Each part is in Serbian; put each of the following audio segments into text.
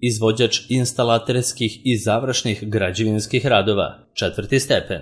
Izvođač instalaterskih i završnih građevinskih radova, 4. stepen.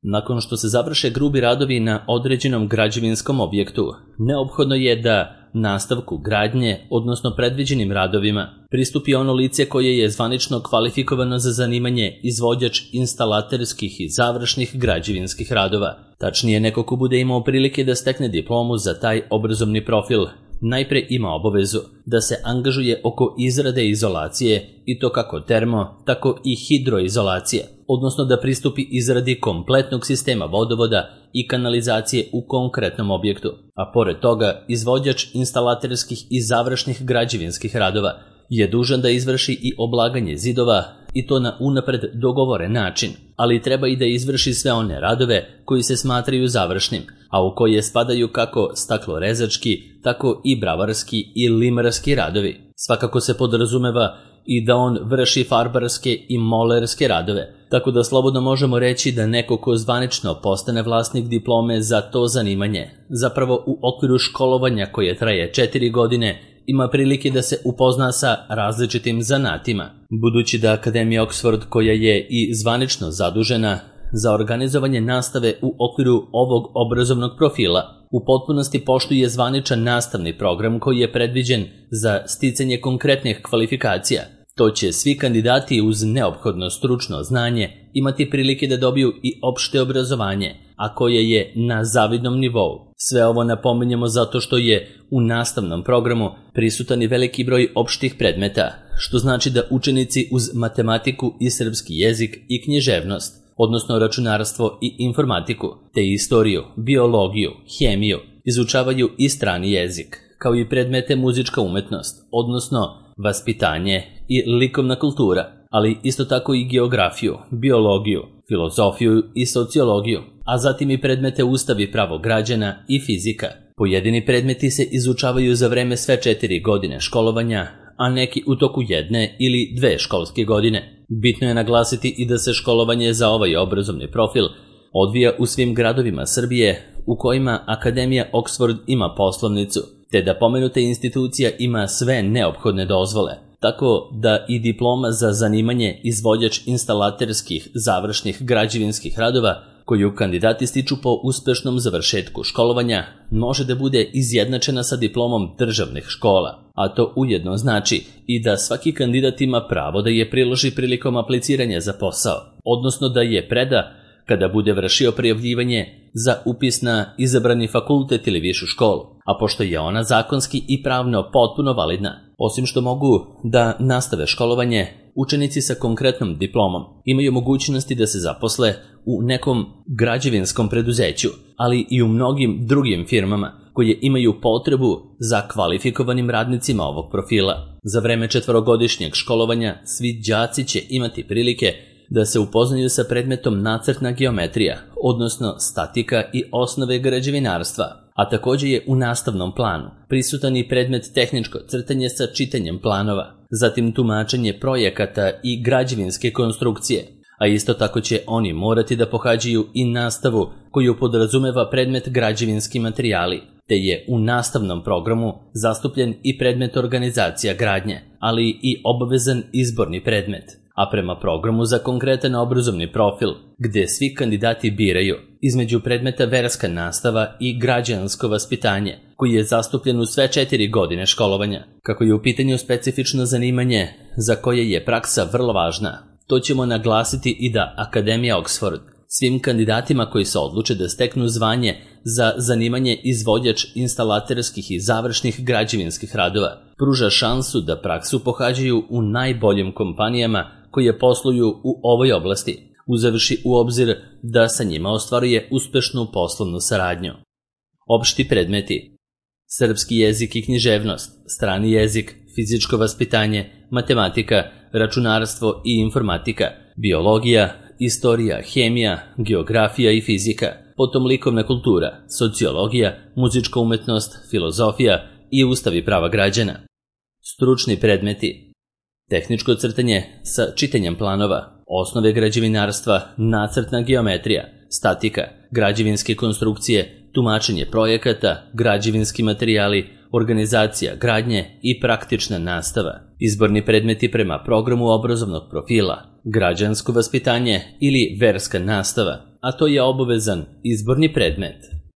Nakon što se završe grubi radovi na određenom građevinskom objektu, neophodno je da nastavku gradnje, odnosno predviđenim radovima, pristupi ono lice koje je zvanično kvalifikovano za zanimanje izvođač instalaterskih i završnih građevinskih radova. Tačnije, neko ko bude imao prilike da stekne diplomu za taj obrazovni profil, najpre ima obavezu da se angažuje oko izrade izolacije, i to kako termo, tako i hidroizolacije, odnosno da pristupi izradi kompletnog sistema vodovoda i kanalizacije u konkretnom objektu, a pored toga izvođač instalaterskih i završnih građevinskih radova je dužan da izvrši i oblaganje zidova, i to na unapred dogovoren način, ali treba i da izvrši sve one radove koji se smatraju završnim, a u koje spadaju kako staklorezački, tako i bravarski i limarski radovi. Svakako se podrazumeva i da on vrši farbarske i molerske radove, tako da slobodno možemo reći da neko ko zvanično postane vlasnik diplome za to zanimanje, zapravo u okviru školovanja koje traje 4 godine, ima prilike da se upozna sa različitim zanatima. Budući da Akademija Oxford, koja je i zvanično zadužena za organizovanje nastave u okviru ovog obrazovnog profila, u potpunosti poštuje zvaničan nastavni program koji je predviđen za sticanje konkretnih kvalifikacija, to će svi kandidati uz neophodno stručno znanje imati prilike da dobiju i opšte obrazovanje, a koje je na zavidnom nivou. Sve ovo napominjemo zato što je u nastavnom programu prisutan i veliki broj opštih predmeta, što znači da učenici uz matematiku i srpski jezik i književnost, odnosno računarstvo i informatiku, te istoriju, biologiju, hemiju, izučavaju i strani jezik, kao i predmete muzička umetnost, odnosno vaspitanje i likovna kultura, ali isto tako i geografiju, biologiju, filozofiju i sociologiju, a zatim i predmete Ustav i pravo građana i fizika. Pojedini predmeti se izučavaju za vreme sve 4 godine školovanja, a neki u toku 1 ili 2 školske godine. Bitno je naglasiti i da se školovanje za ovaj obrazovni profil odvija u svim gradovima Srbije u kojima Akademija Oxford ima poslovnicu, te da pomenuta institucija ima sve neophodne dozvole, tako da i diploma za zanimanje izvođač instalaterskih završnih građevinskih radova, koju kandidati stiču po uspešnom završetku školovanja, može da bude izjednačena sa diplomom državnih škola, a to ujedno znači i da svaki kandidat ima pravo da je priloži prilikom apliciranja za posao, odnosno da je preda kada bude vršio prijavljivanje za upis na izabrani fakultet ili višu školu, a pošto je ona zakonski i pravno potpuno validna, osim što mogu da nastave školovanje, učenici sa konkretnom diplomom imaju mogućnosti da se zaposle u nekom građevinskom preduzeću, ali i u mnogim drugim firmama koje imaju potrebu za kvalifikovanim radnicima ovog profila. Za vreme 4-godišnjeg školovanja svi đaci će imati prilike da se upoznaju sa predmetom nacrtna geometrija, odnosno statika i osnove građevinarstva, a takođe je u nastavnom planu prisutan i predmet tehničko crtanje sa čitanjem planova, zatim tumačenje projekata i građevinske konstrukcije, a isto tako će oni morati da pohađaju i nastavu koju podrazumeva predmet građevinski materijali, te je u nastavnom programu zastupljen i predmet organizacija gradnje, ali i obavezan izborni predmet, a prema programu za konkretan obrazovni profil, gde svi kandidati biraju između predmeta verska nastava i građansko vaspitanje, koji je zastupljen u sve 4 godine školovanja. Kako je u pitanju specifično zanimanje za koje je praksa vrlo važna, to ćemo naglasiti i da Akademija Oxford svim kandidatima koji se odluče da steknu zvanje za zanimanje izvođač instalaterskih i završnih građevinskih radova pruža šansu da praksu pohađaju u najboljim kompanijama koje posluju u ovoj oblasti, uzevši u obzir da sa njima ostvaruje uspešnu poslovnu saradnju. Opšti predmeti: srpski jezik i književnost, strani jezik, fizičko vaspitanje, matematika, računarstvo i informatika, biologija, istorija, hemija, geografija i fizika, potom likovna kultura, sociologija, muzička umetnost, filozofija i Ustav i prava građana. Stručni predmeti: tehničko crtanje sa čitanjem planova, osnove građevinarstva, nacrtna geometrija, statika, građevinske konstrukcije, tumačenje projekata, građevinski materijali, organizacija gradnje i praktična nastava. izborni predmeti prema programu obrazovnog profila, građansko vaspitanje ili verska nastava, a to je obavezan izborni predmet.